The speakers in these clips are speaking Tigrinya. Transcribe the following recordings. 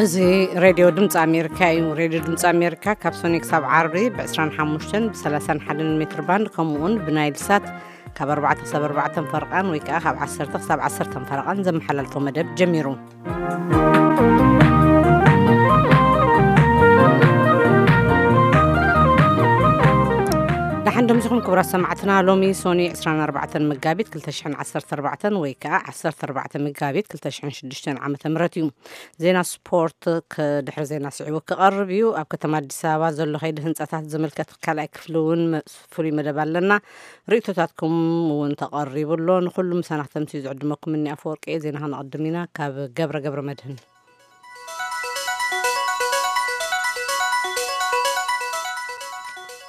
እዚ ሬድዮ ድምፂ ኣሜሪካ እዩ። ሬድዮ ድምፂ ኣሜሪካ ካብ ሶኒ ክሳብ ዓርቢ ብ25ን ብ31ን ሜትር ባንድ፣ ከምኡውን ብናይል ሳት ካብ ኣርባዕተ ክሳብ ኣርባዕተ ፈርቓን ወይ ከዓ ካብ ዓሰርተ ክሳብ ዓሰርተ ፈርቓን ዘመሓላልፎ መደብ ጀሚሩ። ደሓን ደምስኹም ክቡራት ሰማዕትና። ሎሚ ሶኒ ዕስራን ኣርባዕተን መጋቢት ክልተ ሽሕን ዓሰርተ ኣርባዕተን ወይ ከዓ ዓሰርተ ኣርባዕተ መጋቢት ክልተ ሽሕን ሽዱሽተን ዓመተ ምህረት እዩ። ዜና ስፖርት ከ-፣ ድሕሪ ዜና ስዒቡ ክቐርብ እዩ። ኣብ ከተማ ኣዲስ ኣበባ ዘሎ ከይዲ ህንፃታት ዝምልከት ካልኣይ ክፍሊ እውን መ-፣ ፍሉይ መደብ ኣለና። ርእይቶታትኩም እውን ተቐሪቡ ኣሎ። ንኹሉ ምሳና ክተምስዩ ዝዕድመኩም እኒ ኣፈወርቂ እየ። ዜና ከነቐድም ኢና። ካብ ገብረ ገብረ መድህን።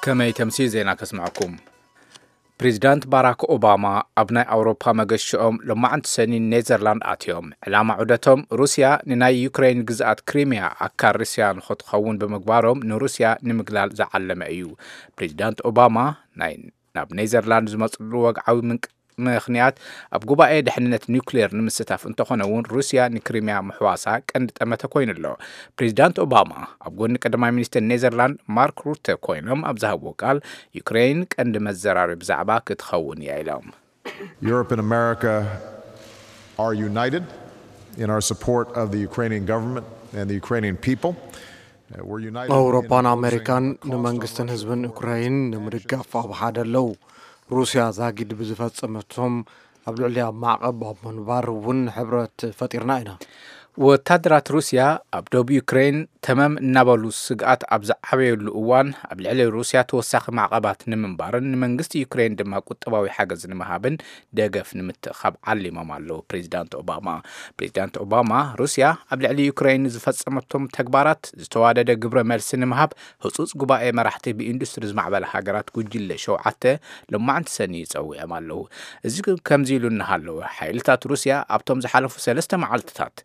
ከመይ ተምስዩ ዜና ከስምዐኩም። ፕሬዚዳንት ባራክ ኦባማ ኣብ ናይ ኣውሮፓ መገሽኦም ሎማዕንቲ ሰኒ ኔዘርላንድ ኣትዮም። ዕላማ ዑደቶም ሩስያ ንናይ ዩክሬን ግዝኣት ክሪሚያ ኣካል ሩስያ ንኽትኸውን ብምግባሮም ንሩስያ ንምግላል ዝዓለመ እዩ። ፕሬዚዳንት ኦባማ ናይ ናብ ኔዘርላንድ ዝመፅሉ ወግዓዊ ምንቅ-፣ ምኽንያት ኣብ ጉባኤ ድሕንነት ኒውክሌር ንምስታፍ እንተኾነ እውን ሩስያ ንክሪሚያ ምሕዋሳ ቀንዲ ጠመተ ኮይኑ ኣሎ። ፕሬዚዳንት ኦባማ ኣብ ጎኒ ቀዳማይ ሚኒስትር ኔዘርላንድ ማርክ ሩተ ኮይኖም ኣብ ዝሃብዎ ቃል ዩክሬን ቀንዲ መዘራረቢ ዛዕባ ክትኸውን እያ ኢሎም። Europe and America are united in our support of the Ukrainian government and the Ukrainian people. Uh, we're united in ኣውሮፓን opposing ኣሜሪካን the cost ንመንግስትን of ህዝብን Russia's ዩክራይን ንምድጋፍ ኣብ ሓደ ኣለዉ። ሩስያ ዛጊድ ብዝፈጸመቶም ኣብ ልዕሊያ ማዕቐብ ኣብ ምንባር እውን ሕብረት ፈጢርና ኢና። ወታደራት ሩስያ ኣብ ደቡብ ዩክሬን ተመም እናበሉ ስግኣት ኣብ ዝዓበየሉ እዋን ኣብ ልዕሊ ሩስያ ተወሳኺ ማዕቐባት ንምንባርን ንመንግስቲ ዩክሬን ድማ ቁጠባዊ ሓገዝ ንምሃብን ደገፍ ንምትእኻብ ዓሊሞም ኣለዉ ፕሬዚዳንት ኦባማ። ፕሬዚዳንት ኦባማ ሩስያ ኣብ ልዕሊ ዩክሬን ዝፈጸመቶም ተግባራት ዝተዋደደ ግብረ መልሲ ንምሃብ ህጹጽ ጉባኤ መራሕቲ ብኢንዱስትሪ ዝማዕበለ ሃገራት ጉጅለ ሸውዓተ ሎማዕንቲ ሰኒ ጸዊዖም ኣለዉ። እዚ ከምዚ ኢሉ እናሃለወ ሓይልታት ሩስያ ኣብቶም ዝሓለፉ ሰለስተ መዓልትታት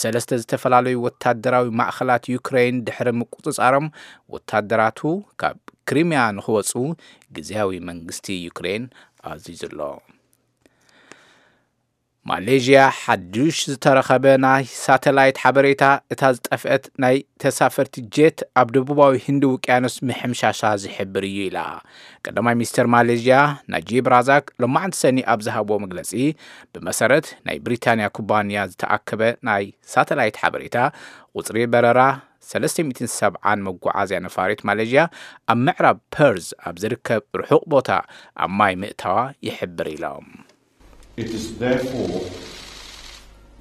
ንሰለስተ ዝተፈላለዩ ወታደራዊ ማእኸላት ዩክሬን ድሕሪ ምቁጽጻሮም ወታደራቱ ካብ ክሪሚያ ንኽወጹ ግዝያዊ መንግስቲ ዩክሬን ኣዚዙ ኣሎ። ማሌዥያ ሓዱሽ ዝተረኸበ ናይ ሳተላይት ሓበሬታ እታ ዝጠፍአት ናይ ተሳፈርቲ ጄት ኣብ ደቡባዊ ህንዲ ውቅያኖስ ምሕምሻሻ ዝሕብር እዩ ኢላ። ቀዳማይ ሚኒስተር ማሌዥያ ናጂብ ራዛክ ሎማዕንቲ ሰኒ ኣብ ዝሃብዎ መግለጺ ብመሰረት ናይ ብሪታንያ ኩባንያ ዝተኣከበ ናይ ሳተላይት ሓበሬታ ቁጽሪ በረራ ሰለስተ ሚእትን ሰብዓን መጓዓዝያ ነፋሪት ማሌዥያ ኣብ ምዕራብ ፐርዝ ኣብ ዝርከብ ርሑቕ ቦታ ኣብ ማይ ምእታዋ ይሕብር ኢሎም። It is therefore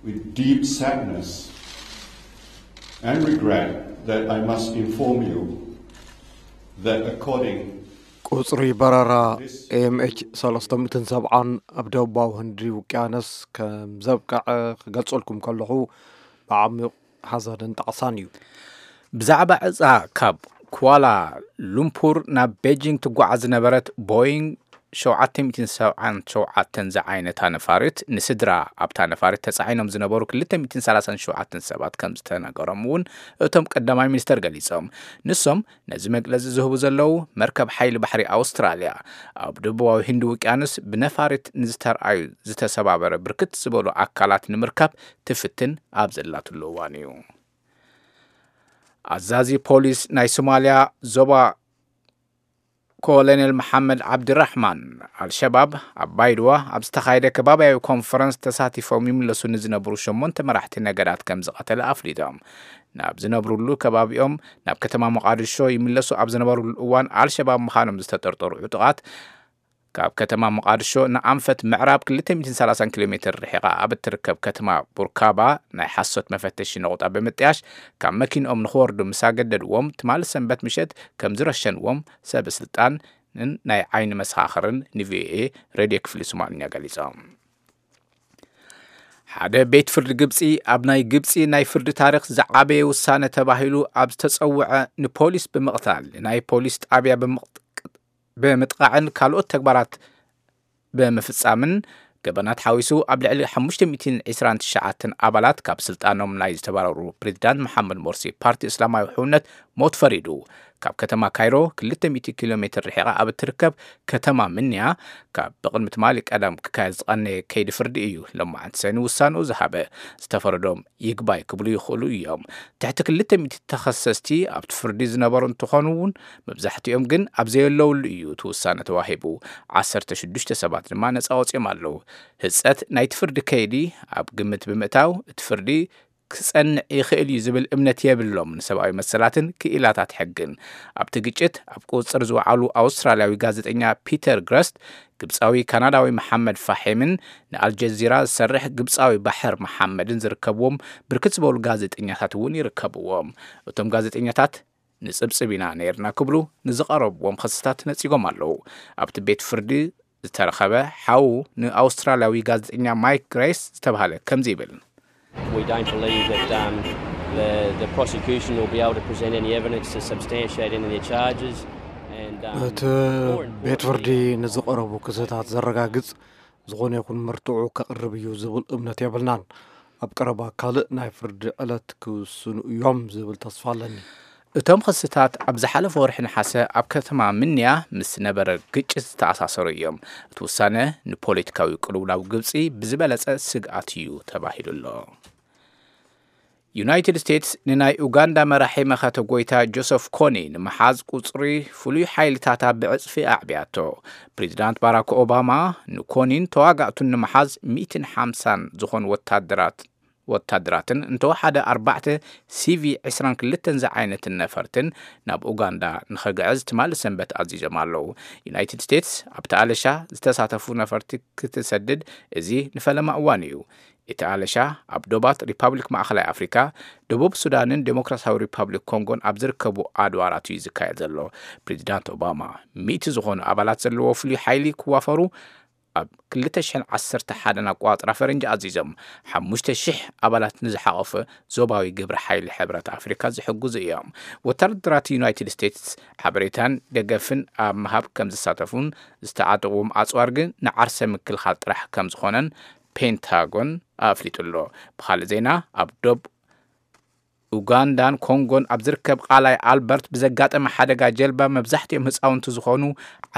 with deep sadness and regret that I must inform you that according ቁጽሪ በረራ ኤምኤች ሰለስተ ሚእትን ሰብዓን ኣብ ደቡባዊ ህንዲ ውቅያኖስ ከም ዘብቅዐ ክገልጸልኩም ከለኹ ብዓሚቕ ሓዘንን ጣዕሳን እዩ። ብዛዕባ ዕጻ ካብ ኳላ ሉምፑር ናብ ቤጂንግ ትጓዓዝ ዝነበረት ቦይንግ ሸውዓተ ሚእትን ሰብዓን ሸውዓተን ዝዓይነታ ነፋሪት ንስድራ ኣብታ ነፋሪት ተጻዒኖም ዝነበሩ ክልተ ሚእትን ሰላሳን ሸውዓተን ሰባት ከም ዝተነገሮም እውን እቶም ቀዳማይ ሚኒስተር ገሊጾም። ንሶም ነዚ መግለጺ ዝህቡ ዘለዉ መርከብ ሓይሊ ባሕሪ ኣውስትራልያ ኣብ ደቡባዊ ህንዲ ውቅያኖስ ብነፋሪት ንዝተርኣዩ ዝተሰባበረ ብርክት ዝበሉ ኣካላት ንምርካብ ትፍትን ኣብ ዘላትሉ እዋን እዩ። ኣዛዚ ፖሊስ ናይ ሶማልያ ዞባ ኮሎኔል መሓመድ ዓብድራሕማን ኣልሸባብ ኣብ ባይድዋ ኣብ ዝተኻየደ ከባቢያዊ ኮንፈረንስ ተሳቲፎም ይምለሱ ንዝነበሩ ሸሞንተ መራሕቲ ነገዳት ከም ዝቐተለ ኣፍሊጦም። ናብ ዝነብሩሉ ከባቢኦም ናብ ከተማ ሞቓድሾ ይምለሱ ኣብ ዝነበሩሉ እዋን ኣልሸባብ ምዃኖም ዝተጠርጠሩ ዕጡቓት ካብ ከተማ ሞቓድሾ ንኣንፈት ምዕራብ ክልተ ሚእትን ሰላሳን ኪሎ ሜትር ርሒቓ ኣብ እትርከብ ከተማ ቡርካባ ናይ ሓሶት መፈተሺ ነቑጣ ብምጥያሽ ካብ መኪንኦም ንኽወርዱ ምስ ኣገደድዎም ትማሊ ሰንበት ምሸት ከም ዝረሸንዎም ሰበ ስልጣንን ናይ ዓይኒ መሰኻኽርን ንቪኦኤ ሬድዮ ክፍሊ ሶማልኛ ገሊጾም። ሓደ ቤት ፍርዲ ግብጺ ኣብ ናይ ግብጺ ናይ ፍርዲ ታሪኽ ዝዓበየ ውሳነ ተባሂሉ ኣብ ዝተጸውዐ ንፖሊስ ብምቕታል ናይ ፖሊስ ጣብያ ብምቕ-፣ ብምጥቓዕን ካልኦት ተግባራት ብምፍጻምን ገበናት ሓዊሱ ኣብ ልዕሊ ሓሙሽተ ሚእትን ዕስራን ትሽዓተን ኣባላት ካብ ስልጣኖም ናይ ዝተባረሩ ፕሬዚዳንት መሓመድ ሞርሲ ፓርቲ እስላማዊ ሕውነት ሞት ፈሪዱ። ካብ ከተማ ካይሮ ክልተ ሚእቲ ኪሎ ሜትር ርሒቓ ኣብ እትርከብ ከተማ ምንያ፣ ካብ ብቕድሚ ትማሊ ቀዳም ክካየድ ዝቐነየ ከይዲ ፍርዲ እዩ ለማዓንቲ ሰኒ ውሳንኡ ዝሃበ። ዝተፈረዶም ይግባይ ክብሉ ይኽእሉ እዮም። ትሕቲ ክልተ ሚእቲ ተኸሰስቲ ኣብቲ ፍርዲ ዝነበሩ እንትኾኑ እውን፣ መብዛሕትኦም ግን ኣብ ዘየለውሉ እዩ እቲ ውሳነ ተዋሂቡ። ዓሰርተ ሽዱሽተ ሰባት ድማ ነፃ ወፂኦም ኣለዉ። ህፀት ናይቲ ፍርዲ ከይዲ ኣብ ግምት ብምእታው፣ እቲ ፍርዲ ክጸንዕ ይኽእል እዩ ዝብል እምነት የብሎም ንሰብኣዊ መሰላትን ክኢላታት ሕግን። ኣብቲ ግጭት ኣብ ቁጽጽር ዝወዓሉ ኣውስትራልያዊ ጋዜጠኛ ፒተር ግረስት፣ ግብጻዊ ካናዳዊ መሓመድ ፋሒምን ንኣልጀዚራ ዝሰርሕ ግብጻዊ ባሕር መሓመድን ዝርከብዎም ብርክት ዝበሉ ጋዜጠኛታት እውን ይርከብዎም። እቶም ጋዜጠኛታት ንጽብጽብ ኢና ነይርና ክብሉ ንዝቐረብዎም ኽስታት ነጺጎም ኣለዉ። ኣብቲ ቤት ፍርዲ ዝተረኸበ ሓዉ ንኣውስትራልያዊ ጋዜጠኛ ማይክ ግሬስ ዝተባህለ ከምዚ ይብል። We don't believe that um, the, the prosecution will be able to present any evidence to substantiate any of their charges. And, um, እቲ more ቤት ፍርዲ importantly, ንዝቐረቡ ክስታት ዘረጋግጽ ዝኾነ ይኹን መርትዖ ከቕርብ እዩ ዝብል እምነት የብልናን። ኣብ ቀረባ ካልእ ናይ ፍርዲ ዕለት ክውስኑ እዮም ዝብል ተስፋ ኣለኒ። እቶም ኽስታት ኣብ ዝሓለፈ ወርሒ ነሓሰ ኣብ ከተማ ምንያ ምስ ነበረ ግጭት ዝተኣሳሰሩ እዮም። እቲ ውሳነ ንፖለቲካዊ ቅልውላው ግብጺ ብዝበለጸ ስግኣት እዩ ተባሂሉ ኣሎ። ዩናይትድ ስቴትስ ንናይ ኡጋንዳ መራሒ መኸተ ጎይታ ጆሰፍ ኮኒ ንምሓዝ ቁጽሪ ፍሉይ ሓይልታታ ብዕጽፊ ኣዕብያቶ። ፕሬዚዳንት ባራክ ኦባማ ንኮኒን ተዋጋእቱን ንምሓዝ ሚእትን ሓምሳን ዝኾኑ ወታደራት ወታደራትን እንተወሓደ ኣርባዕተ ሲቪ ዕስራን ክልተን ዝዓይነትን ነፈርትን ናብ ኡጋንዳ ንኸግዕዝ ትማሊ ሰንበት ኣዚዞም ኣለዉ። ዩናይትድ ስቴትስ ኣብቲ ኣለሻ ዝተሳተፉ ነፈርቲ ክትሰድድ እዚ ንፈለማ እዋን እዩ። እቲ ኣለሻ ኣብ ዶባት ሪፓብሊክ ማእኸላይ ኣፍሪካ፣ ደቡብ ሱዳንን ዴሞክራሲያዊ ሪፓብሊክ ኮንጎን ኣብ ዝርከቡ ኣድባራት እዩ ዝካየድ ዘሎ። ፕሬዚዳንት ኦባማ ሚእቲ ዝኾኑ ኣባላት ዘለዎ ፍሉይ ሓይሊ ክዋፈሩ ኣብ ክልተ ሽሕን ዓሰርተ ሓደን ኣቆጻጽራ ፈረንጂ ኣዚዞም፣ ሓሙሽተ ሽሕ ኣባላት ንዝሓቖፈ ዞባዊ ግብረ ሓይሊ ሕብረት ኣፍሪካ ዝሕግዙ እዮም። ወታደራት ዩናይትድ ስቴትስ ሓበሬታን ደገፍን ኣብ ምሃብ ከም ዝሳተፉን ዝተዓጠቑዎም ኣጽዋር ግን ንዓርሰ ምክልኻል ጥራሕ ከም ዝኾነን ፔንታጎን ኣፍሊጡ ኣሎ። ብኻልእ ዜና፣ ኣብ ዶብ ኡጋንዳን ኮንጎን ኣብ ዝርከብ ቃላይ ኣልበርት ብዘጋጠመ ሓደጋ ጀልባ መብዛሕትኦም ህፃውንቲ ዝኾኑ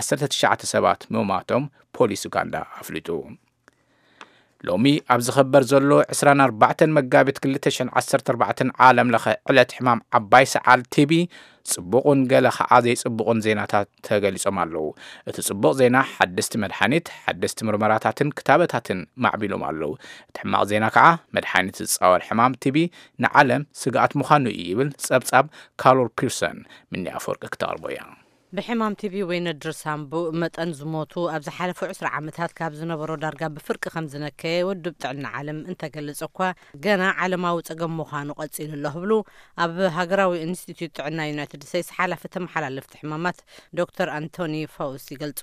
ዓሰርተ ትሽዓተ ሰባት ምማቶም ፖሊስ ኡጋንዳ ኣፍሊጡ። ሎሚ ኣብ ዝኸበር ዘሎ ዕስራን ኣርባዕተን መጋቢት ክልተ ሽሕን ዓሰርተ ኣርባዕተን ዓለም ለኸ ዕለት ሕማም ዓባይ ሰዓል ቲቢ፣ ጽቡቕን ገለ ኸዓ ዘይጽቡቕን ዜናታት ተገሊጾም ኣለዉ። እቲ ጽቡቕ ዜና፣ ሓደስቲ መድሓኒት፣ ሓደስቲ ምርመራታትን ክታበታትን ማዕቢሎም ኣለዉ። እቲ ሕማቕ ዜና ከኣ፣ መድሓኒት ዝጻወር ሕማም ቲቢ ንዓለም ስግኣት ምዃኑ እዩ ይብል ጸብጻብ ካሮል ፒርሰን። ምኒ ኣፈወርቂ ክተቕርቦ እያ። ብሕማም ቲቢ ወይ ነድሪ ሳምቡእ መጠን ዝሞቱ ኣብ ዝሓለፉ ዕስራ ዓመታት ካብ ዝነበሮ ዳርጋ ብፍርቂ ከም ዝነከየ ውድብ ጥዕና ዓለም እንተገልጽ እኳ፣ ገና ዓለማዊ ጸገም ምዃኑ ቀጺሉ ኣሎ ክብሉ ኣብ ሃገራዊ ኢንስቲትዩት ጥዕና ዩናይትድ ስቴትስ ሓላፊ ተመሓላለፍቲ ሕማማት ዶክተር ኣንቶኒ ፋውስ ይገልጹ።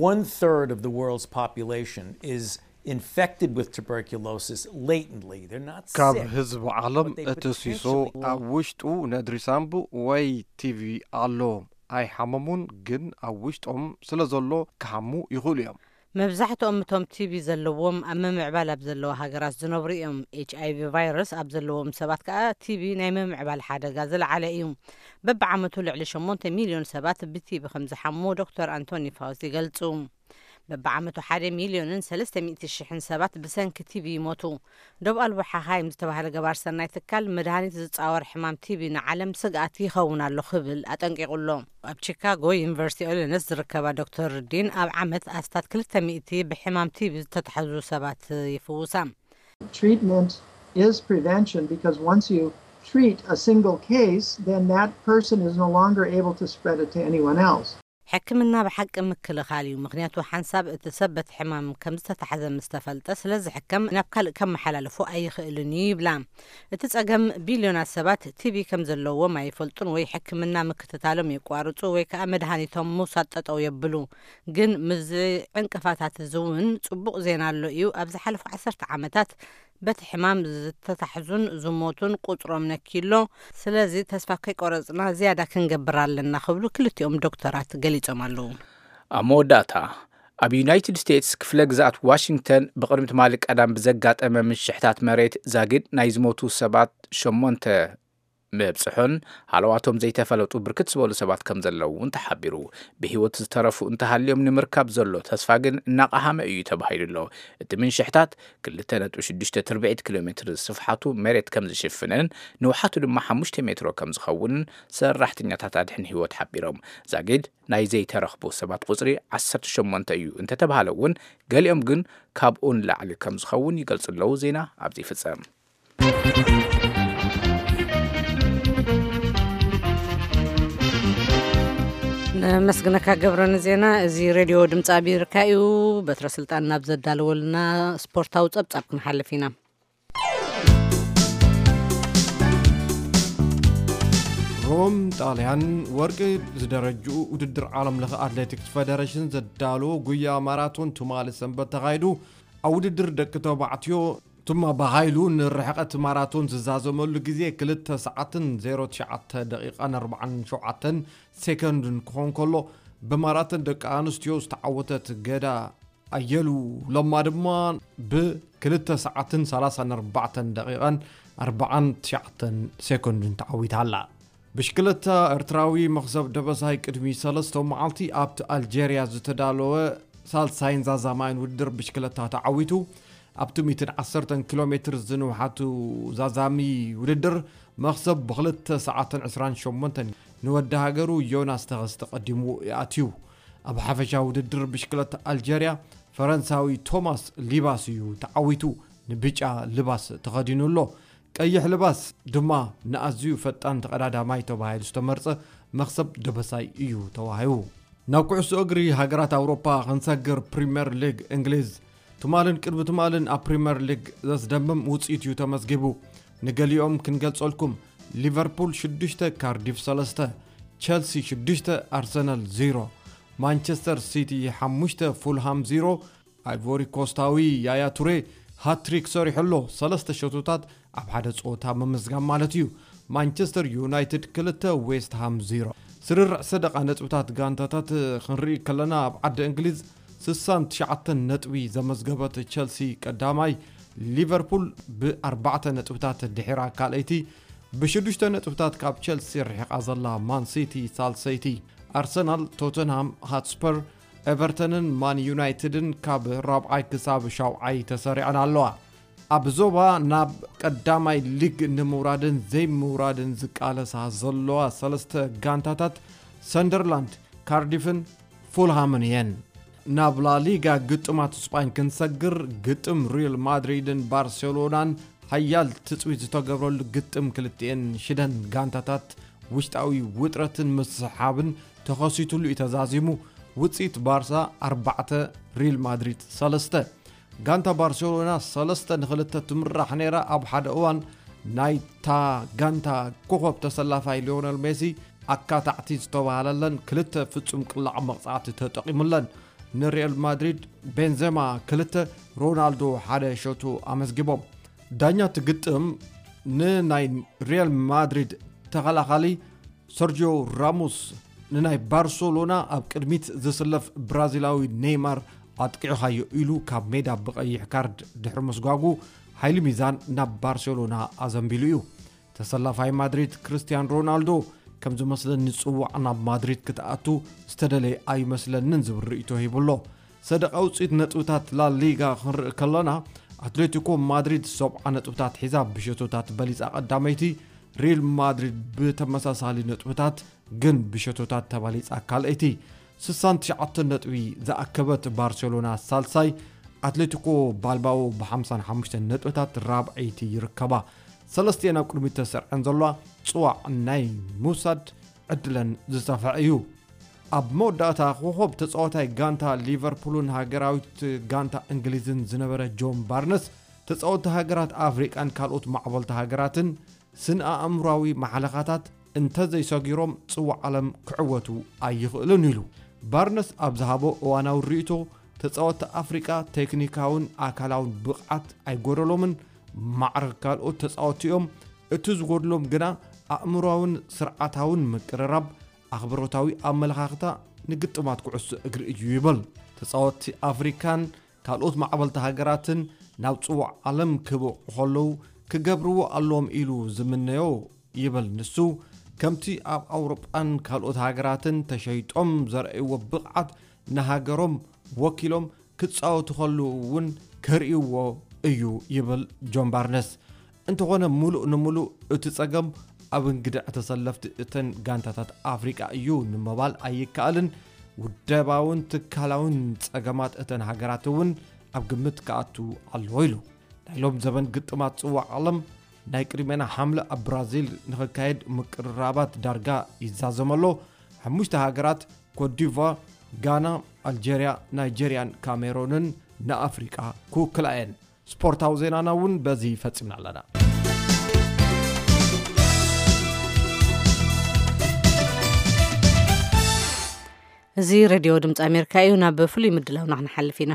One third of the world's population is infected with tuberculosis latently. They're not ካብ sick, ህዝቢ ዓለም but they እቲ ሲሶ potentially ኣብ ውሽጡ ነድሪ ሳምቡእ ወይ ቲቪ ኣሎ። ኣይሓመሙን፣ ግን ኣብ ውሽጦም ስለ ዘሎ ክሓሙ ይኽእሉ እዮም። መብዛሕትኦም እቶም ቲቢ ዘለዎም ኣብ ምምዕባል ኣብ ዘለዋ ሃገራት ዝነብሩ እዮም። ኤች ኣይ ቪ ቫይረስ ኣብ ዘለዎም ሰባት ከኣ ቲቢ ናይ ምምዕባል ሓደጋ ዝለዓለ እዩ። በብዓመቱ ልዕሊ ሸሞንተ ሚልዮን ሰባት ብቲቢ ከም ዝሓሙ ዶክተር ኣንቶኒ ፋውስ ይገልጹ። በብዓመቱ ሓደ ሚልዮንን ሰለስተ ሚእቲ ሽሕን ሰባት ብሰንኪ ቲቢ ይሞቱ። ዶብ ኣልቦ ሓኻይም ዝተባህለ ገባር ሰናይ ትካል፣ መድሃኒት ዝጻወር ሕማም ቲቢ ንዓለም ስግኣት ይኸውን ኣሎ ክብል ኣጠንቂቑ ኣሎ። ኣብ ቺካጎ ዩኒቨርሲቲ ኢሊኖስ ዝርከባ ዶክተር ዲን፣ ኣብ ዓመት ኣስታት ክልተ ሚእቲ ብሕማም ቲቢ ዝተታሕዙ ሰባት ይፍውሳ። Treatment is prevention, because once you treat a single case, then that person is no longer able to spread it to anyone else. ሕክምና ብሓቂ ምክልኻል እዩ፣ ምኽንያቱ ሓንሳብ እቲ ሰብ በቲ ሕማም ከም ዝተታሕዘ ምስ ተፈልጠ ስለ ዝሕከም ናብ ካልእ ከመሓላልፎ ኣይኽእልን እዩ ይብላ። እቲ ጸገም፣ ቢልዮናት ሰባት ቲቢ ከም ዘለዎም ኣይፈልጡን ወይ ሕክምና ምክትታሎም የቋርጹ ወይ ከኣ መድሃኒቶም ምውሳድ ጠጠው የብሉ። ግን ምስዚ ዕንቅፋታት እዚ እውን ጽቡቕ ዜና ኣሎ እዩ። ኣብ ዝሓለፉ ዓሰርተ ዓመታት በቲ ሕማም ዝተታሕዙን ዝሞቱን ቁጽሮም ነኪሎ። ስለዚ ተስፋ ከይቆረጽና ዝያዳ ክንገብር ኣለና ክብሉ ክልቲኦም ዶክተራት ገሊጾም ኣለዉ። ኣብ መወዳእታ፣ ኣብ ዩናይትድ ስቴትስ ክፍለ ግዝኣት ዋሽንግተን ብቕድሚ ትማሊ ቀዳም ብዘጋጠመ ምሽሕታት መሬት ዛጊድ ናይ ዝሞቱ ሰባት ሸሞንተ ምብጽሑን ሃለዋቶም ዘይተፈለጡ ብርክት ዝበሉ ሰባት ከም ዘለዉ እውን ተሓቢሩ። ብህይወት ዝተረፉ እንተሃልዮም ንምርካብ ዘሎ ተስፋ ግን እናቐሃመ እዩ ተባሂሉ ኣሎ። እቲ ምንሽሕታት ክልተ ነጥቢ ሽዱሽተ ትርብዒት ኪሎ ሜትር ስፍሓቱ መሬት ከም ዝሽፍንን ንውሓቱ ድማ ሓሙሽተ ሜትሮ ከም ዝኸውንን ሰራሕተኛታት ኣድሕን ህይወት ሓቢሮም። ዛጊድ ናይ ዘይተረኽቡ ሰባት ቁጽሪ ዓሰርተ ሸሞንተ እዩ እንተተባሃለ እውን፣ ገሊኦም ግን ካብኡ ንላዕሊ ከም ዝኸውን ይገልጹ ኣለዉ። ዜና ኣብዚ ይፍጸም። ነመስግነካ ገብረ ንዜና። እዚ ሬድዮ ድምፂ ኣሜሪካ እዩ። በትረ ስልጣን ናብ ዘዳለወልና ስፖርታዊ ጸብጻብ ክንሓልፍ ኢና። ሮም ጣልያን ወርቂ ዝደረጅኡ ውድድር ዓለም ለኸ ኣትሌቲክስ ፌደሬሽን ዘዳለዎ ጉያ ማራቶን ትማሊ ሰንበት ተኻይዱ። ኣብ ውድድር ደቂ ተባዕትዮ ቱማ ብሃይሉ ንርሕቐት ማራቶን ዝዛዘመሉ ግዜ ክልተ ሰዓትን ዜሮ ትሽዓተ ደቂቓን ኣርባዓን ሸውዓተን ሴኮንድን ክኾን ከሎ፣ ብማራቶን ደቂ ኣንስትዮ ዝተዓወተት ገዳ ኣየሉ ለማ ድማ ብክልተ ሰዓትን ሰላሳን ኣርባዕተን ደቂቓን ኣርባዓን ትሽዓተን ሴኮንድን ተዓዊታ ኣላ። ብሽክለታ ኤርትራዊ መኽሰብ ደበሳይ ቅድሚ ሰለስተ መዓልቲ ኣብቲ ኣልጀርያ ዝተዳለወ ሳልሳይን ዛዛማይን ውድድር ብሽክለታ ተዓዊቱ። ኣብቲ ሚእትን ዓሰርተን ኪሎ ሜትር ዝንውሓቱ ዛዛሚ ውድድር መኽሰብ ብክልተ ሰዓትን ዕስራን ሸሞንተን ንወዲ ሃገሩ ዮናስ ተኸስተ ቀዲሙ ይኣትዩ። ኣብ ሓፈሻ ውድድር ብሽክለታ ኣልጀርያ ፈረንሳዊ ቶማስ ሊባስ እዩ ተዓዊቱ። ንብጫ ልባስ ተኸዲኑ ኣሎ። ቀይሕ ልባስ ድማ ንኣዝዩ ፈጣን ተቐዳዳማይ ተባሂሉ ዝተመርጸ መኽሰብ ደበሳይ እዩ ተዋሂቡ። ናብ ኩዕሶ እግሪ ሃገራት ኣውሮፓ ክንሰግር፣ ፕሪምየር ሊግ እንግሊዝ ትማልን ቅድሚ ትማልን ኣብ ፕሪምየር ሊግ ዘስደምም ውጽኢት እዩ ተመዝጊቡ። ንገሊኦም ክንገልጸልኩም፣ ሊቨርፑል ሽዱሽተ፣ ካርዲፍ ሰለስተ፣ ቸልሲ ሽዱሽተ፣ ኣርሰናል ዜሮ፣ ማንቸስተር ሲቲ ሓሙሽተ፣ ፉልሃም ዜሮ። ኣይቮሪ ኮስታዊ ያያ ቱሬ ሃትሪክ ሰሪሑ ኣሎ። ሰለስተ ሸቶታት ኣብ ሓደ ጸወታ ምምዝጋብ ማለት እዩ። ማንቸስተር ዩናይትድ ክልተ፣ ዌስት ሃም ዜሮ። ስርርዕ ሰደቓ ነጥብታት ጋንታታት ክንርኢ ከለና፣ ኣብ ዓዲ እንግሊዝ ስሳን ትሽዓተን ነጥቢ ዘመዝገበት ቸልሲ ቀዳማይ፣ ሊቨርፑል ብኣርባዕተ ነጥብታት ድሒራ ካልኣይቲ፣ ብሽዱሽተ ነጥብታት ካብ ቸልሲ ርሒቓ ዘላ ማን ሲቲ ሳልሰይቲ፣ ኣርሰናል፣ ቶተንሃም ሃትስፐር፣ ኤቨርተንን ማን ዩናይትድን ካብ ራብዓይ ክሳብ ሻውዓይ ተሰሪዐን ኣለዋ። ኣብ ዞባ ናብ ቀዳማይ ሊግ ንምውራድን ዘይምውራድን ዝቃለሳ ዘለዋ ሰለስተ ጋንታታት ሰንደርላንድ፣ ካርዲፍን ፉልሃምን እየን። ናብ ላሊጋ ግጥማት ስጳኝ ክንሰግር፣ ግጥም ሪል ማድሪድን ባርሴሎናን ሓያል ትጽቢት ዝተገብረሉ ግጥም ክልቲኤን ሽደን ጋንታታት ውሽጣዊ ውጥረትን ምስሕሓብን ተኸሲቱሉ እዩ ተዛዚሙ። ውጽኢት ባርሳ ኣርባዕተ፣ ሪል ማድሪድ ሰለስተ። ጋንታ ባርሴሎና ሰለስተ ንኽልተ ትምራሕ ነይራ። ኣብ ሓደ እዋን ናይታ ጋንታ ኮኸብ ተሰላፋይ ሊዮነል ሜሲ ኣካታዕቲ ዝተባህለለን ክልተ ፍጹም ቅላዕ መቕጻዕቲ ተጠቒሙለን። ንሪያል ማድሪድ ቤንዜማ ክልተ፣ ሮናልዶ ሓደ ሸቶ ኣመዝጊቦም። ዳኛ እቲ ግጥም ንናይ ሪያል ማድሪድ ተኸላኻሊ ሰርጂዮ ራሞስ ንናይ ባርሰሎና ኣብ ቅድሚት ዝስለፍ ብራዚላዊ ኔይማር ኣጥቂዕኻዮ ኢሉ ካብ ሜዳ ብቐይሕ ካርድ ድሕሪ ምስጓጉ፣ ሓይሊ ሚዛን ናብ ባርሴሎና ኣዘንቢሉ እዩ። ተሰላፋይ ማድሪድ ክርስቲያን ሮናልዶ፣ ከም ዝመስለኒ ጽዋዕ ናብ ማድሪድ ክትኣቱ ዝተደለየ ኣይመስለንን ዝብል ርእይቶ ሂቡ ኣሎ። ሰደቓ ውጽኢት ነጥብታት ላሊጋ ክንርኢ ከለና፣ ኣትሌቲኮ ማድሪድ ሰብዓ ነጥብታት ሒዛ ብሸቶታት በሊጻ ቀዳመይቲ፣ ሪል ማድሪድ ብተመሳሳሊ ነጥብታት ግን ብሸቶታት ተባሊጻ ካልኣይቲ፣ ስሳን ትሽዓተን ነጥቢ ዝኣከበት ባርሴሎና ሳልሳይ፣ ኣትሌቲኮ ባልባኦ ብሓምሳን ሓሙሽተን ነጥብታት ራብዐይቲ ይርከባ። ሰለስቲኤን ኣብ ቅድሚት ተሰርዐን ዘለዋ ጽዋዕ ናይ ምውሳድ ዕድለን ዝሰፍሐ እዩ። ኣብ መወዳእታ ኮኾብ ተጻዋታይ ጋንታ ሊቨርፑልን ሃገራዊት ጋንታ እንግሊዝን ዝነበረ ጆን ባርነስ፣ ተጻወትቲ ሃገራት ኣፍሪቃን ካልኦት ማዕበልቲ ሃገራትን ስነ ኣእምራዊ ማሕለኻታት እንተዘይሰጊሮም ጽዋዕ ዓለም ክዕወቱ ኣይኽእሉን ኢሉ። ባርነስ ኣብ ዝሃቦ እዋናዊ ርእይቶ፣ ተጻወትቲ ኣፍሪቃ ቴክኒካውን ኣካላውን ብቕዓት ኣይጎደሎምን፣ ማዕረ ካልኦት ተጻወትቲ እዮም። እቲ ዝጎድሎም ግና ኣእምሮኣውን ስርዓታውን ምቅርራብ፣ ኣኽብሮታዊ ኣመለኻኽታ ንግጥማት ኩዕሶ እግሪ እዩ ይብል። ተጻወትቲ ኣፍሪካን ካልኦት ማዕበልቲ ሃገራትን ናብ ጽዋዕ ዓለም ክበቑ ከለዉ ክገብርዎ ኣለዎም ኢሉ ዝምነዮ ይብል ንሱ። ከምቲ ኣብ ኣውሮጳን ካልኦት ሃገራትን ተሸይጦም ዘርእይዎ ብቕዓት ንሃገሮም ወኪሎም ክጻወቱ ከለዉ እውን ከርእይዎ እዩ ይብል ጆን ባርነስ። እንተኾነ፣ ምሉእ ንምሉእ እቲ ጸገም ኣብ እንግድዕ ተሰለፍቲ እተን ጋንታታት ኣፍሪቃ እዩ ንምባል ኣይከኣልን። ውደባውን ትካላውን ጸገማት እተን ሃገራት እውን ኣብ ግምት ክኣቱ ኣለዎ ኢሉ። ናይ ሎም ዘበን ግጥማት ጽዋዕ ዓለም ናይ ቅድሜና ሓምለ ኣብ ብራዚል ንኽካየድ ምቅርራባት ዳርጋ ይዛዘም ኣሎ። ሓሙሽተ ሃገራት፣ ኮትዲቯር፣ ጋና፣ ኣልጀርያ፣ ናይጀርያን ካሜሮንን፣ ንኣፍሪቃ ክውክላ እየን። ስፖርታዊ ዜናና እውን በዚ ፈጺምና ኣለና። እዚ ሬድዮ ድምፂ ኣሜሪካ እዩ። ናብ ፍሉይ ምድላውና ክንሓልፍ ኢና።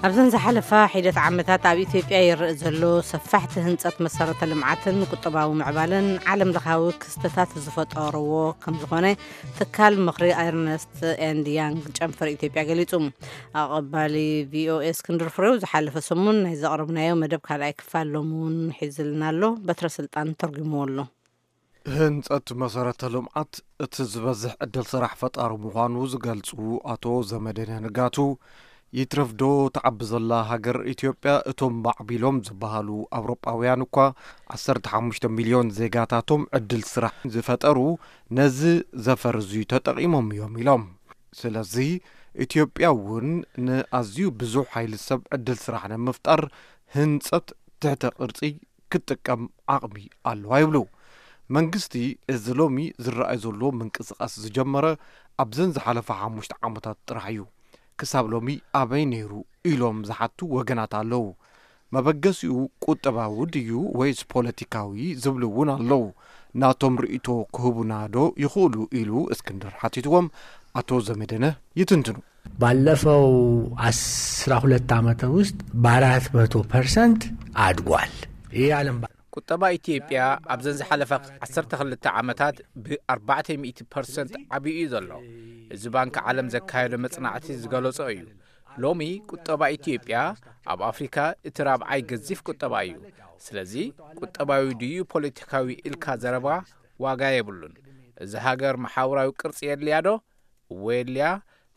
ኣብዘን ዝሓለፋ ሒደት ዓመታት ኣብ ኢትዮጵያ ይረአ ዘሎ ሰፋሕቲ ህንፀት መሰረተ ልምዓትን ቁጠባዊ ምዕባለን ዓለም ለኻዊ ክስተታት ዝፈጠርዎ ከም ዝኾነ ትካል ምኽሪ ኤርነስት ኤንድ ያንግ ጨንፈር ኢትዮጵያ ገሊጹ። ኣቐባሊ ቪኦኤ እስክንድር ፍሬው ዝሓለፈ ሰሙን ናይ ዘቕረብናዮ መደብ ካልኣይ ክፋል ሎሚ እውን ሒዝልና ኣሎ። በትረ ስልጣን ተርጉምዎ ኣሎ። ህንጸት መሰረተ ልምዓት እቲ ዝበዝሕ ዕድል ስራሕ ፈጣሪ ምዃኑ ዝገልጹ ኣቶ ዘመደነ ንጋቱ፣ ይትረፍዶ ትዓቢ ዘላ ሃገር ኢትዮጵያ እቶም ማዕቢሎም ዝበሃሉ ኣውሮጳውያን እኳ ዓሰርተ ሓሙሽተ ሚልዮን ዜጋታቶም ዕድል ስራሕ ዝፈጠሩ ነዚ ዘፈር እዚ ተጠቒሞም እዮም ኢሎም። ስለዚ ኢትዮጵያ እውን ንኣዝዩ ብዙሕ ሓይሊ ሰብ ዕድል ስራሕ ንምፍጣር ህንጸት ትሕተ ቅርጺ ክትጥቀም ዓቕሚ ኣለዋ ይብሉ። መንግስቲ እዚ ሎሚ ዝረኣይ ዘሎ ምንቅስቓስ ዝጀመረ ኣብዘን ዝሓለፋ ሓሙሽተ ዓመታት ጥራሕ እዩ። ክሳብ ሎሚ ኣበይ ነይሩ ኢሎም ዝሓቱ ወገናት ኣለዉ። መበገሲኡ ቁጠባዊ ድዩ ወይስ ፖለቲካዊ ዝብሉ እውን ኣለዉ። ናቶም ርእይቶ ክህቡና ዶ ይኽእሉ ኢሉ እስክንድር ሓቲትዎም ኣቶ ዘመደነ ይትንትኑ። ባለፈው አስራ ሁለት ዓመት ውስጥ በአራት መቶ ፐርሰንት አድጓል። ይህ የዓለም ባንክ ቁጠባ ኢትዮጵያ ኣብዘን ዝሓለፋ ዓሰርተ ክልተ ዓመታት ብ ኣርባዕተ ሚእቲ ፐርሰንት ዓብዩ እዩ ዘሎ። እዚ ባንኪ ዓለም ዘካየዶ መጽናዕቲ ዝገለጾ እዩ። ሎሚ ቁጠባ ኢትዮጵያ ኣብ ኣፍሪካ እቲ ራብዓይ ገዚፍ ቁጠባ እዩ። ስለዚ ቁጠባዊ ድዩ ፖለቲካዊ ኢልካ ዘረባ ዋጋ የብሉን። እዚ ሃገር መሓውራዊ ቅርጺ የድልያ ዶ? እወ የድልያ።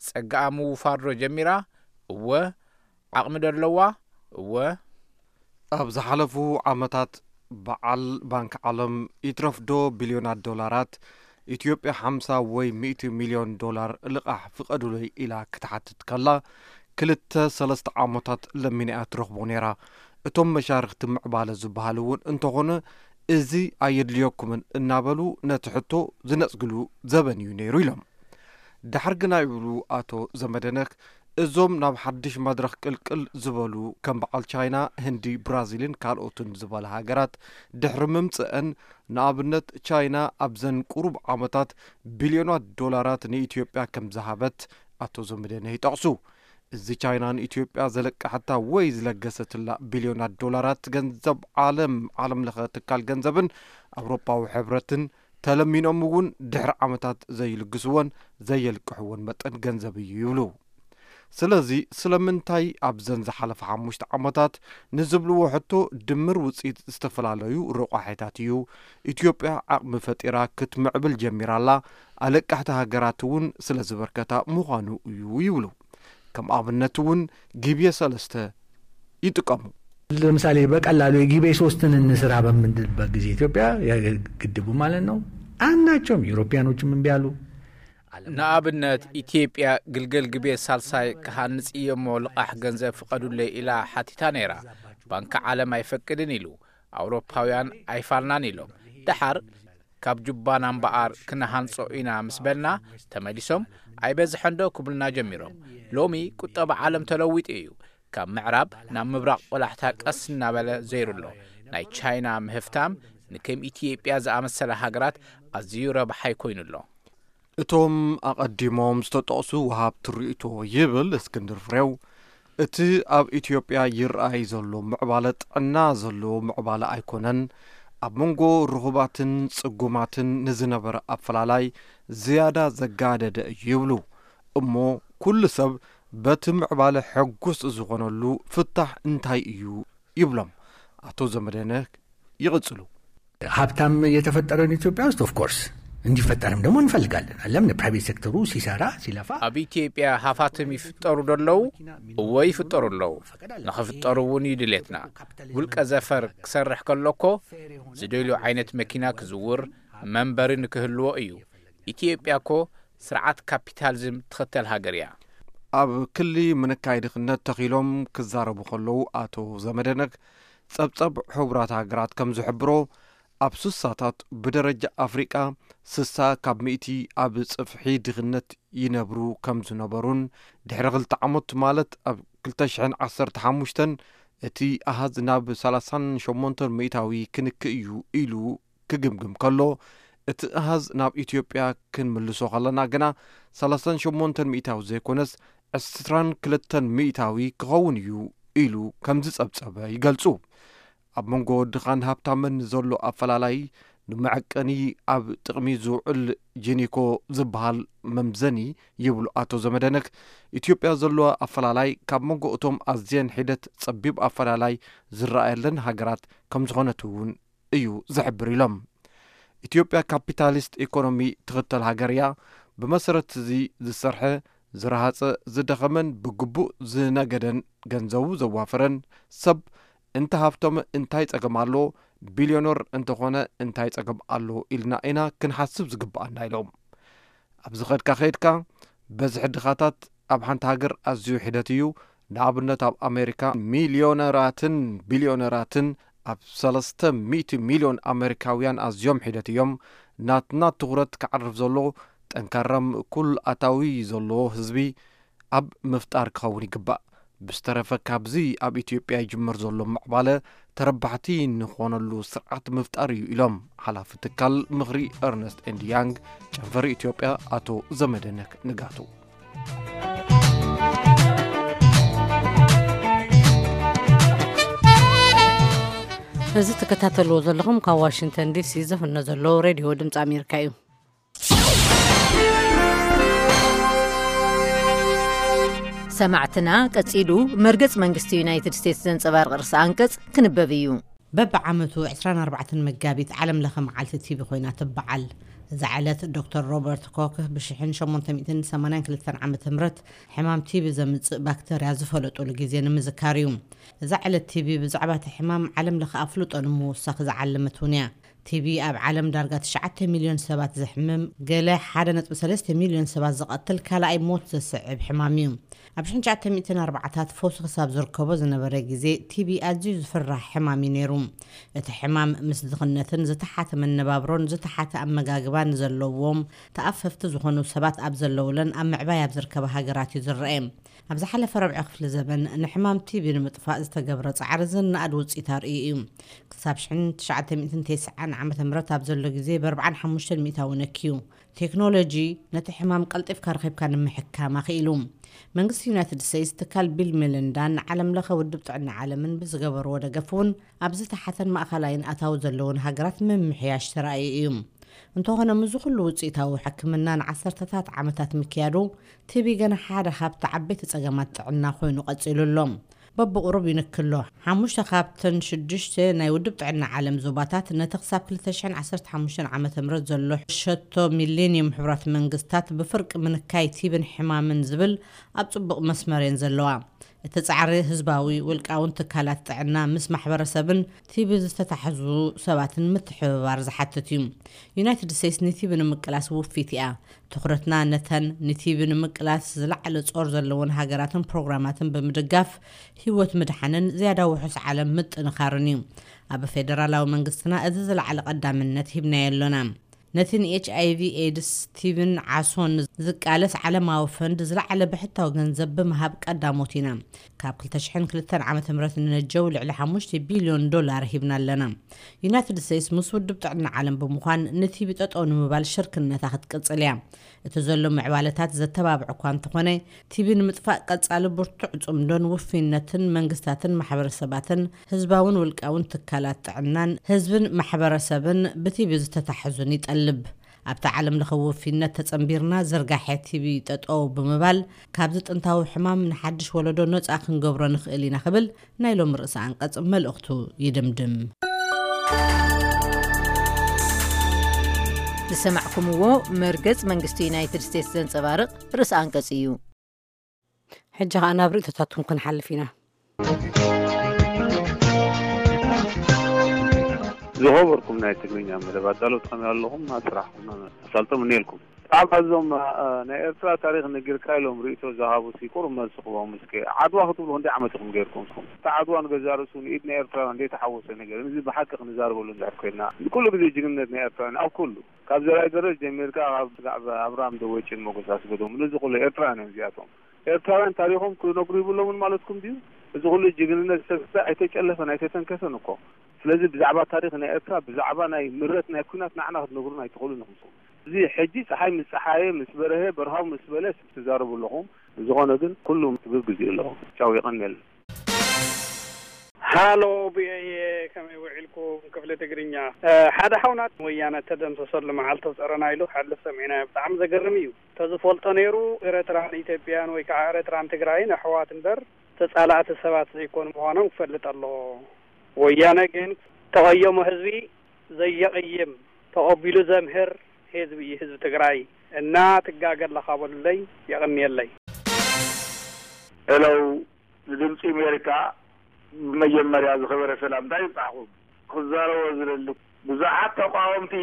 ጸጋኣ ምውፋር ዶ ጀሚራ? እወ። ዓቕሚ ዶ ኣለዋ? እወ። ኣብ ዝሓለፉ ዓመታት በዓል ባንክ ዓለም ይትረፍዶ ቢልዮናት ዶላራት ኢትዮጵያ ሓምሳ ወይ ሚእቲ ሚልዮን ዶላር ልቓሕ ፍቐዱለይ ኢላ ክትሓትት ከላ ክልተ ሰለስተ ዓመታት ለሚና እያ ትረኽቦ ነይራ። እቶም መሻርኽቲ ምዕባለ ዝበሃሉ እውን እንተኾነ እዚ ኣየድልየኩምን እናበሉ ነቲ ሕቶ ዝነጽግሉ ዘበን እዩ ነይሩ ኢሎም። ዳሕር ግና ይብሉ ኣቶ ዘመደነክ እዞም ናብ ሓድሽ መድረኽ ቅልቅል ዝበሉ ከም በዓል ቻይና፣ ህንዲ፣ ብራዚልን ካልኦትን ዝበላ ሃገራት ድሕሪ ምምጽአን ንኣብነት ቻይና ኣብዘን ቁሩብ ዓመታት ቢልዮናት ዶላራት ንኢትዮጵያ ከም ዝሃበት ኣቶ ዘመደነህ ይጠቕሱ። እዚ ቻይና ንኢትዮጵያ ዘለቀሐታ ወይ ዝለገሰትላ ቢልዮናት ዶላራት ገንዘብ ዓለም ዓለም ለኸ ትካል ገንዘብን ኣውሮፓዊ ሕብረትን ተለሚኖም እውን ድሕሪ ዓመታት ዘይልግስዎን ዘየልቅሕዎን መጠን ገንዘብ እዩ ይብሉ። ስለዚ ስለምንታይ ኣብዘን ዝሓለፈ ሓሙሽተ ዓመታት ንዝብልዎ ሕቶ ድምር ውፅኢት ዝተፈላለዩ ረቋሒታት እዩ። ኢትዮጵያ ዓቕሚ ፈጢራ ክትምዕብል ጀሚራላ ኣለቃሕቲ ሃገራት እውን ስለ ዝበርከታ ምዃኑ እዩ ይብሉ። ከም ኣብነት እውን ጊቤ ሰለስተ ይጥቀሙ። ለምሳሌ በቀላሉ የጊቤ ሶስትን እንስራ በምንልበት ጊዜ ኢትዮጵያ ግድቡ ማለት ነው አንዳቸውም ዩሮፒያኖችም እምቢ አሉ። ንኣብነት ኢትዮጵያ ግልገል ግቤ ሳልሳይ ክሃንጽ እየሞ ልቓሕ ገንዘብ ፍቐዱለይ ኢላ ሓቲታ ነይራ። ባንኪ ዓለም ኣይፈቅድን ኢሉ። ኣውሮፓውያን ኣይፋልናን ኢሎም። ደሓር ካብ ጁባና እምበኣር ክንሃንጾ ኢና ምስ በልና ተመሊሶም ኣይበዝሐንዶ ክብሉና ጀሚሮም። ሎሚ ቁጠባ ዓለም ተለዊጡ እዩ። ካብ ምዕራብ ናብ ምብራቕ ቆላሕታ ቀስ እናበለ ዘይሩ ኣሎ። ናይ ቻይና ምህፍታም ንከም ኢትዮጵያ ዝኣመሰላ ሃገራት ኣዝዩ ረብሓይ ኮይኑ ኣሎ። እቶም ኣቐዲሞም ዝተጠቕሱ ወሃብቲ ርእይቶ ይብል እስክንድር ፍሬው፣ እቲ ኣብ ኢትዮጵያ ይረኣይ ዘሎ ምዕባለ ጥዕና ዘለዎ ምዕባለ ኣይኮነን፣ ኣብ መንጎ ርኹባትን ጽጉማትን ንዝነበረ ኣፈላላይ ዝያዳ ዘጋደደ እዩ ይብሉ። እሞ ኩሉ ሰብ በቲ ምዕባለ ሕጉስ ዝኾነሉ ፍታሕ እንታይ እዩ ይብሎም ኣቶ ዘመደነ። ይቕጽሉ። ሀብታም የተፈጠረን ኢትዮጵያ ውስጥ ኦፍኮርስ እንዲፈጠርም ደግሞ እንፈልጋለን። ለምን ፕራይቬት ሴክተሩ ሲሰራ ሲለፋ ኣብ ኢትዮጵያ ሃፋትም ይፍጠሩ ዶ ኣለዉ? እወ ይፍጠሩ ኣለዉ። ንኽፍጠሩ እውን እዩ ድሌትና። ውልቀ ዘፈር ክሰርሕ ከሎ እኮ ዝደልዮ ዓይነት መኪና ክዝውር መንበሪ ንክህልዎ እዩ። ኢትዮጵያ እኮ ስርዓት ካፒታሊዝም ትኽተል ሃገር እያ። ኣብ ክሊ ምንካይ ድኽነት ተኺሎም ክዛረቡ ከለዉ ኣቶ ዘመደነክ ጸብጸብ ሕቡራት ሃገራት ከም ዝሕብሮ ኣብ ስሳታት ብደረጃ ኣፍሪቃ ስሳ ካብ ሚእቲ ኣብ ጽፍሒ ድኽነት ይነብሩ ከም ዝነበሩን ድሕሪ ክልተ ዓመት ማለት ኣብ ክልተ ሽሕን ዓሰርተ ሓሙሽተን እቲ ኣሃዝ ናብ ሰላሳን ሸሞንተን ሚእታዊ ክንክእ እዩ ኢሉ ክግምግም ከሎ እቲ ኣሃዝ ናብ ኢትዮጵያ ክንምልሶ ከለና ግና ሰላሳን ሸሞንተን ሚእታዊ ዘይኮነስ ዕስራን ክልተን ሚእታዊ ክኸውን እዩ ኢሉ ከም ዝጸብጸበ ይገልጹ። ኣብ መንጎ ድኻን ሃብታምን ዘሎ ኣፈላላይ ንመዐቀኒ ኣብ ጥቕሚ ዝውዕል ጄኒኮ ዝበሃል መምዘኒ ይብሉ ኣቶ ዘመደነክ፣ ኢትዮጵያ ዘለዋ ኣፈላላይ ካብ መንጎ እቶም ኣዝየን ሒደት ጸቢብ ኣፈላላይ ዝረኣየለን ሃገራት ከም ዝኾነት እውን እዩ ዝሕብር ኢሎም። ኢትዮጵያ ካፒታሊስት ኢኮኖሚ ትኽተል ሃገር እያ። ብመሰረት እዚ ዝሰርሐ ዝረሃጸ ዝደኸመን ብግቡእ ዝነገደን ገንዘቡ ዘዋፈረን ሰብ እንተ ሃብቶም እንታይ ጸገም ኣሎ፣ ቢልዮነር እንተኾነ እንታይ ጸገም ኣሎ ኢልና ኢና ክንሓስብ ዝግብኣና ኢሎም። ኣብዚ ኸድካ ኸይድካ በዝሒ ድኻታት ኣብ ሓንቲ ሃገር ኣዝዩ ሒደት እዩ። ንኣብነት ኣብ ኣሜሪካ ሚልዮነራትን ቢልዮነራትን ኣብ ሰለስተ ሚእቲ ሚልዮን ኣሜሪካውያን ኣዝዮም ሒደት እዮም። ናትና ትኹረት ክዓርፍ ዘሎ ጠንካራ ምእኩል ኣታዊ ዘለዎ ህዝቢ ኣብ ምፍጣር ክኸውን ይግባእ። ብዝተረፈ ካብዚ ኣብ ኢትዮጵያ ይጅመር ዘሎ ምዕባለ ተረባሕቲ ንኾነሉ ስርዓት ምፍጣር እዩ ኢሎም ሓላፊ ትካል ምኽሪ ኤርነስት ኤንድ ያንግ ጨንፈር ኢትዮጵያ ኣቶ ዘመደነክ ንጋቱ። እዚ ትከታተልዎ ዘለኹም ካብ ዋሽንግተን ዲሲ ዝፍኖ ዘሎ ሬድዮ ድምፂ ኣሜሪካ እዩ። ሰማዕትና፣ ቀጺሉ መርገጽ መንግስቲ ዩናይትድ ስቴትስ ዘንጸባርቕ ርእሰ ኣንቀጽ ክንበብ እዩ። በብዓመቱ ዕስራን ኣርባዕተን መጋቢት ዓለም ለኸ መዓልቲ ቲቢ ኮይና ትበዓል። እዛ ዕለት ዶክተር ሮበርት ኮክ ብሽሕን ሸሞንተ ሚእትን ሰማንያን ክልተን ዓመተ ምህረት ሕማም ቲቢ ዘምጽእ ባክተርያ ዝፈለጡሉ ግዜ ንምዝካር እዩ። እዛ ዕለት ቲቢ ብዛዕባ እቲ ሕማም ዓለም ለኸ ኣፍልጦ ንምውሳኽ ዝዓለመት እውን እያ። ቲቢ ኣብ ዓለም ዳርጋ ትሽዓተ ሚልዮን ሰባት ዘሕምም፣ ገለ ሓደ ነጥቢ ሰለስተ ሚልዮን ሰባት ዝቐትል ካልኣይ ሞት ዘስዕብ ሕማም እዩ። ኣብ ሽሕን ትሽዓተ ሚእትን ኣርባዓታት ፈውሲ ክሳብ ዝርከቦ ዝነበረ ግዜ ቲቢ ኣዝዩ ዝፍራሕ ሕማም እዩ ነይሩ። እቲ ሕማም ምስ ድኽነትን ዝተሓተ መነባብሮን ዝተሓተ ኣመጋግባን ዘለዎም ተኣፈፍቲ ዝኾኑ ሰባት ኣብ ዘለውለን ኣብ ምዕባይ ኣብ ዝርከባ ሃገራት እዩ ዝረአ። ኣብ ዝሓለፈ ረብዒ ክፍሊ ዘበን ንሕማም ቲቢ ንምጥፋእ ዝተገብረ ጻዕሪ ዝነኣድ ውጽኢት ኣርእዩ እዩ። ክሳብ ሽሕን ትሽዓተ ሚእትን ተስዓን ዓመተ ምህረት ኣብ ዘሎ ግዜ ብኣርብዓን ሓሙሽተን ሚእታዊ ነክዩ። ቴክኖሎጂ ነቲ ሕማም ቀልጢፍካ ረኺብካ ንምሕካም ኣኽኢሉ። መንግስቲ ዩናይትድ ስቴትስ ትካል ቢል ሜሊንዳን ዓለም ለኸ ውድብ ጥዕና ዓለምን ብዝገበርዎ ደገፍ እውን ኣብ ዝተሓተን ማእኸላይን ኣታዊ ዘለውን ሃገራት ምምሕያሽ ተራእዩ እዩ። እንተኾነ ምስዚ ኩሉ ውፅኢታዊ ሕክምና ንዓሰርተታት ዓመታት ምክያዱ ቲቢ ገና ሓደ ካብቲ ዓበይቲ ፀገማት ጥዕና ኮይኑ ቀፂሉ ኣሎ። በብቑሩብ ይንክሎ። ሓሙሽተ ካብተን ሽዱሽተ ናይ ውድብ ጥዕና ዓለም ዞባታት ነቲ ክሳብ ክልተ ሽሕን ዓሰርተ ሓሙሽተን ዓመተ ምህረት ዘሎ ሸቶ ሚሌኒየም ሕቡራት መንግስታት ብፍርቂ ምንካይ ቲብን ሕማምን ዝብል ኣብ ጽቡቕ መስመር እየን ዘለዋ። እቲ ጻዕሪ ህዝባዊ ውልቃውን ትካላት ጥዕና ምስ ማሕበረሰብን ቲቢ ዝተታሕዙ ሰባትን ምትሕብባር ዝሓትት እዩ። ዩናይትድ ስቴትስ ንቲቢ ንምቅላስ ውፊት እያ። ትኹረትና ነተን ንቲቢ ንምቅላስ ዝለዓለ ጾር ዘለወን ሃገራትን ፕሮግራማትን ብምድጋፍ ህይወት ምድሓንን ዝያዳ ውሑስ ዓለም ምጥንኻርን እዩ። ኣብ ፌደራላዊ መንግስትና እዚ ዝለዓለ ቀዳምነት ሂብናዮ ኣሎና። ነቲ ንኤች ኣይቪ ኤድስ ቲብን ዓሶን ዝቃለስ ዓለማዊ ፈንድ ዝለዓለ ብሕታዊ ገንዘብ ብምሃብ ቀዳሞት ኢና። ካብ ክልተ ሽሕን ክልተን ዓመተ ምህረት ንነጀው ልዕሊ ሓሙሽተ ቢልዮን ዶላር ሂብና ኣለና። ዩናይትድ ስቴትስ ምስ ውድብ ጥዕና ዓለም ብምዃን ንቲቢ ጠጠው ንምባል ሽርክነታ ክትቅጽል እያ። እቲ ዘሎ ምዕባለታት ዘተባብዕ እኳ እንተኾነ፣ ቲቢ ንምጥፋእ ቀጻሊ ብርቱዕ ጽምዶን ውፍይነትን መንግስታትን ማሕበረሰባትን ህዝባውን ውልቃውን ትካላት ጥዕናን ህዝብን ማሕበረሰብን ብቲቢ ዝተታሕዙን ይጠልብ። ኣብቲ ዓለም ለኸ ውፊነት ተጸንቢርና ዝርጋሐ ቲቢ ጠጠው ብምባል ካብዚ ጥንታዊ ሕማም ንሓድሽ ወለዶ ነጻ ክንገብሮ ንኽእል ኢና ክብል ናይ ሎም ርእሰ ኣንቀጽ መልእኽቱ ይድምድም። ዝሰማዕኩምዎ መርገጽ መንግስቲ ዩናይትድ ስቴትስ ዘንጸባርቕ ርእሰ ኣንቀጽ እዩ። ሕጂ ኸኣ ናብ ርእይቶታትኩም ክንሓልፍ ኢና። ዝኸበርኩም ናይ ትግርኛ መደብ ኣዳለውቲ ከመይ ኣለኹም? ኣብ ስራሕኩም ኣሳልጦ ምነየልኩም። ብዛዕባ እዞም ናይ ኤርትራ ታሪኽ ነጊርካ ኢሎም ርእይቶ ዝሃቡ ሲ ቁሩብ መልሲ ክቦም እስከ። ዓድዋ ክትብሉ ክንደይ ዓመት ኢኹም ገይርኩም እስኹም? እታ ዓድዋ ንገዛ ርእሱ ንኢድ ናይ ኤርትራውያን ዘይተሓወሰ ነገር እዚ ብሓቂ ክንዛረበሉ እንድሕር ኮይንና ንኩሉ ግዜ ጅግንነት ናይ ኤርትራውያን ኣብ ኩሉ ካብ ዘርኣይ ገረስ ጀሚርካ ካብ ስጋዕ ኣብርሃም ደወጭን ሞገስ ኣስገዶም ነዚ ኩሉ ኤርትራውያን እዮም እዚኣቶም። ኤርትራውያን ታሪኾም ክነግሩ ይብሎምን ማለትኩም ድዩ? እዚ ኩሉ ጅግንነት ዝተገብረ ኣይተጨለፈን ኣይተተንከፈን እኮ። ስለዚ ብዛዕባ ታሪኽ ናይ ኤርትራ ብዛዕባ ናይ ምረት ናይ ኩናት ንዓና ክትነግሩና ኣይትኽእሉን ኢኹም። እዚ ሕጂ ፀሓይ ምስ ፀሓየ ምስ በረሀ በርሃው ምስ በለ ትዛረቡ ኣለኹም። ዝኾነ ግን ኩሉ ትብብ ግዚኡ ኣለኹም። ቻው የቐንየልና። ሃሎ ብኤየ ከመይ ውዒልኩም ክፍሊ ትግርኛ። ሓደ ሓውና ወያነ ተደምሰሰሉ መዓልቲ ኣውፀረና ኢሉ ክሓልፍ ሰሚዕናዮ። ብጣዕሚ ዘገርም እዩ። ተዝፈልጦ ነይሩ ኤረትራን ኢትዮጵያን ወይ ከዓ ኤረትራን ትግራይን ኣሕዋት እምበር ተፃላእቲ ሰባት ዘይኮኑ ምዃኖም ክፈልጥ ኣለዎ። ወያነ ግን ተቐየሞ ህዝቢ ዘየቕይም ተቐቢሉ ዘምህር ህዝቢ እዩ ህዝቢ ትግራይ እና ትጋገ ኣለኻ በሉለይ። የቕንየለይ። ሄሎ ንድምፂ ኣሜሪካ ብመጀመርያ ዝኸበረ ሰላምታ ይብፃሕኹም። ክዛረቦ ዝደሊ ብዙሓት ተቃወምቲ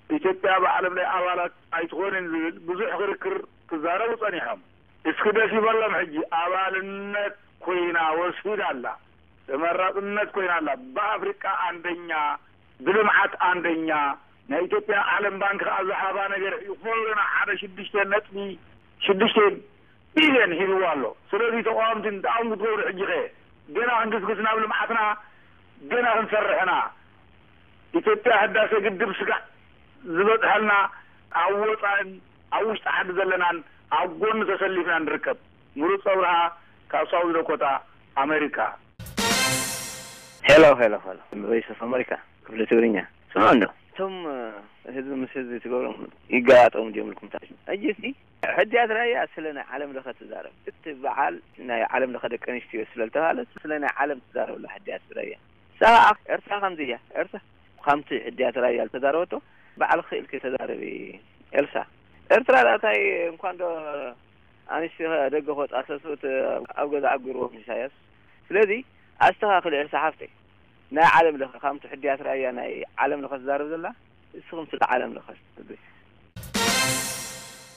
ኢትዮጵያ ብዓለም ናይ ኣባላት ኣይትኾንን ዝብል ብዙሕ ክርክር ክዛረቡ ፀኒሖም። እስኪ ደስ ይበሎም ሕጂ ኣባልነት ኮይና ወሲዳ ኣላ። ተመራፅነት ኮይና ኣላ። ብኣፍሪቃ ኣንደኛ፣ ብልምዓት ኣንደኛ፣ ናይ ኢትዮጵያ ዓለም ባንክ ከዓ ዝሃባ ነገር ይኾርና ሓደ ሽዱሽተ ነጥቢ ሽዱሽተ ቢልዮን ሂብዋ ኣሎ። ስለዚ ተቃወምቲ እንታይ እዮም ክትገብሩ ሕጂ ከ? ገና ክንግስግስ ናብ ልምዓትና ገና ክንሰርሕ ኢና። ኢትዮጵያ ህዳሰ ግድብ ስጋዕ ዝበፅሐልና ኣብ ወፃእን ኣብ ውሽጢ ዓዲ ዘለናን ኣብ ጎኑ ተሰሊፍና ንርከብ። ምሩፅ ኣብርሃ ካብ ሳውዝ ዳኮታ ኣሜሪካ። ሄሎ ሄሎ ሄሎ ቮይስ ኦፍ ኣሜሪካ ክፍሊ ትግርኛ ስምዑ እንዶ እቶም ህዝቢ ምስ ህዝቢ ትገብሮም ይገጣጠሙ ጀምርኩም ታ ሕጂ ሲ ሕድያት ራያ ስለ ናይ ዓለም ለኸ ትዛረብ እቲ በዓል ናይ ዓለም ለኸ ደቂ ኣንስትዮ ስለ ዝተባህለ ስለ ናይ ዓለም ትዛረብ ኣላ ሕድያት ራያ ንሳ ከዓ ኤርትራ ከምዚ እያ ኤርትራ ከምቲ ሕድያት ራያ ዝተዛረበቶ ባዕልኺ ኢልኪ ተዛረቢ ኤልሳ ኤርትራ ዳእታይ እንኳን ዶ ኣንስትዮ ደገ ክወፃ ሰስኡት ኣብ ገዛ ኣጉርዎም ኢሳያስ ስለዚ ኣስተኻኽሊ ኤልሳ ሓፍተይ ናይ ዓለም ለኸ ከምቲ ሕድያት ራያ ናይ ዓለም ለኸ ትዛረብ ዘላ እስኹም ስለ ዓለም ለኸ ትብል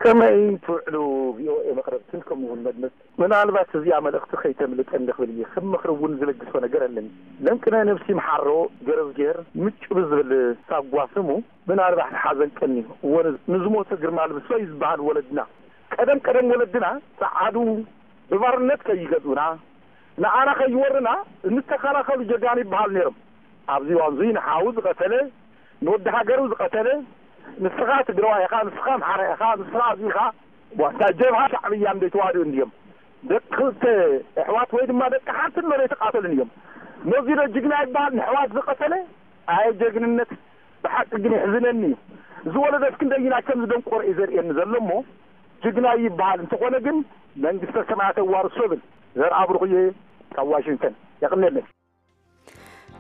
ከመይ ትውዕሉ ቪኦኤ መቕረብትን ከምኡውን መድመፅቲ ምናልባት እዚኣ መልእኽቲ ከይተምልጠኒ ክብል እየ ከም ምኽሪ እውን ዝልግሶ ነገር ኣለኒ ለንቅነ ነብሲ ምሓሮ ገረዝጌር ምጭ ብዝብል ሳጓ ስሙ ምናልባት ሓዘን ቀኒ እወ ንዝሞተ ግርማ ልብሶ እዩ ዝበሃል ወለድና ቀደም ቀደም ወለድና ጸዓዱ ብባርነት ከይገዝኡና ንዓና ከይወርና እንተኸላኸሉ ጀጋኑ ይበሃሉ ነይሮም ኣብዚ ዋንዙይ ንሓዉ ዝቐተለ ንወዲ ሃገሩ ዝቐተለ ንስኻ ትግራዋይ ኢኻ ንስኻ ኣምሓራ ኢኻ ንስኻ ኣብዚ ኢኻ ዋታ ጀብሃ ሻዕብያ እንደ ተዋድኡ እንድዮም ደቂ ክልተ ኣሕዋት ወይ ድማ ደቂ ሓንቲ እኖ ዘይተቃተሉን እዮም ነዚ ዶ ጅግና ይበሃል ንሕዋት ዝቐተለ ኣየ ጀግንነት ብሓቂ ግን የሕዝነኒ እዩ እዚ ወለዶ እስክንደይና ከም ዝደንቆሮ እዩ ዘርእየኒ ዘሎ እሞ ጅግና ይበሃል እንተኾነ ግን መንግስተ ሰማያት የዋርሶ ብል ዘርኣብሩኽ እየ ካብ ዋሽንግተን የቕንየለይ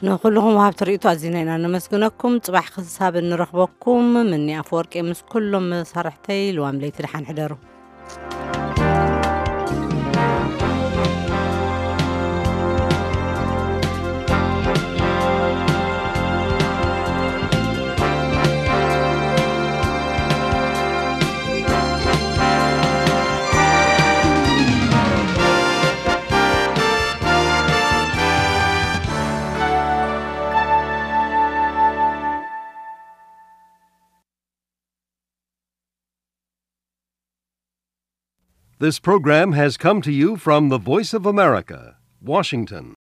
ንኩልኹም ወሃብቲ ርእይቶ ኣዚና ኢና ነመስግነኩም። ጽባሕ ክሳብ እንረኽበኩም ምኒ ኣፈወርቂ ምስ ኩሎም መሳርሕተይ ልዋም ለይቲ ደሓን ሕደሩ። This program has come to you from the Voice of America, Washington.